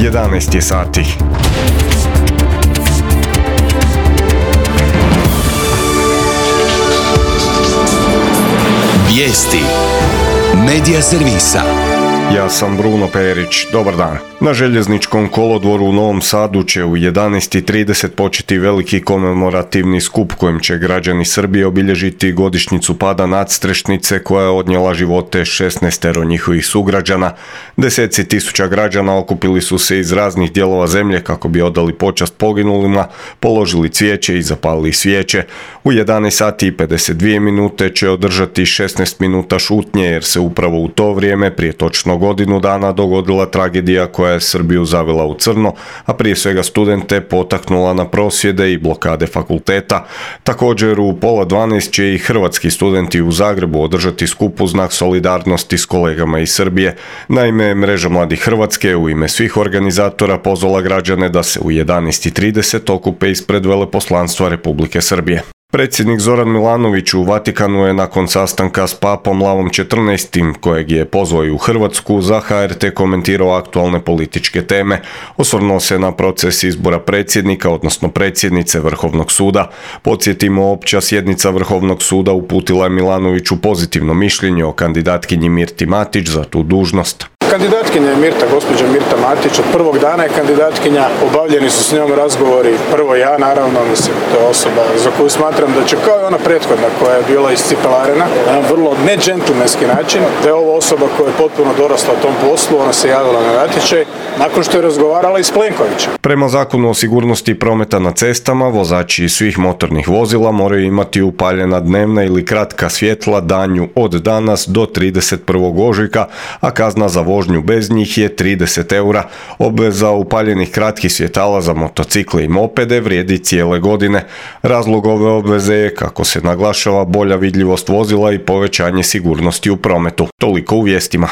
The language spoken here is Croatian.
11 je sati. Vijesti Medija servisa. Ja sam Bruno Perić, dobar dan. Na željezničkom kolodvoru u Novom Sadu će u 11:30 početi veliki komemorativni skup kojim će građani Srbije obilježiti godišnjicu pada nadstrešnice koja je odnijela živote 16 njihovih sugrađana. Deseci tisuća građana okupili su se iz raznih dijelova zemlje kako bi odali počast poginulima, položili cvijeće i zapalili svijeće. U 11:52 će održati 16 minuta šutnje jer se upravo u to vrijeme prije točno godinu dana dogodila tragedija koja je Srbiju zavila u crno, a prije svega studente potaknula na prosvjede i blokade fakulteta. Također u 11:30 će i hrvatski studenti u Zagrebu održati skup u znak solidarnosti s kolegama iz Srbije. Naime, Mreža mladih Hrvatske u ime svih organizatora pozvala građane da se u 11:30 okupe ispred veleposlanstva Republike Srbije. Predsjednik Zoran Milanović u Vatikanu je nakon sastanka s papom Lavom XIV, kojeg je pozvao i u Hrvatsku, za HRT komentirao aktualne političke teme. Osvrnuo se na proces izbora predsjednika, odnosno predsjednice Vrhovnog suda. Podsjetimo, opća sjednica Vrhovnog suda uputila je Milanoviću pozitivno mišljenje o kandidatkinji Mirti Matić za tu dužnost. Kandidatkinja je gospođa Mirta Matić, od prvog dana je kandidatkinja, obavljeni su s njom razgovori, prvo ja naravno, to je osoba za koju smatram da će, kao i ona prethodna koja je bila iscipelarena, na jedan vrlo nedžentlmenski način, da je ovo osoba koja je potpuno dorasla tom poslu, ona se javila na natječaj, nakon što je razgovarala i s Plenkovićem. Prema Zakonu o sigurnosti prometa na cestama, vozači svih motornih vozila moraju imati upaljena dnevna ili kratka svjetla danju od danas do 31. ožujka, a kazna za vožnju bez njih je 30 eura. Obveza upaljenih kratkih svjetala za motocikle i mopede vrijedi cijele godine. Razlog ove obveze je, kako se naglašava, bolja vidljivost vozila i povećanje sigurnosti u prometu. Toliko u vijestima.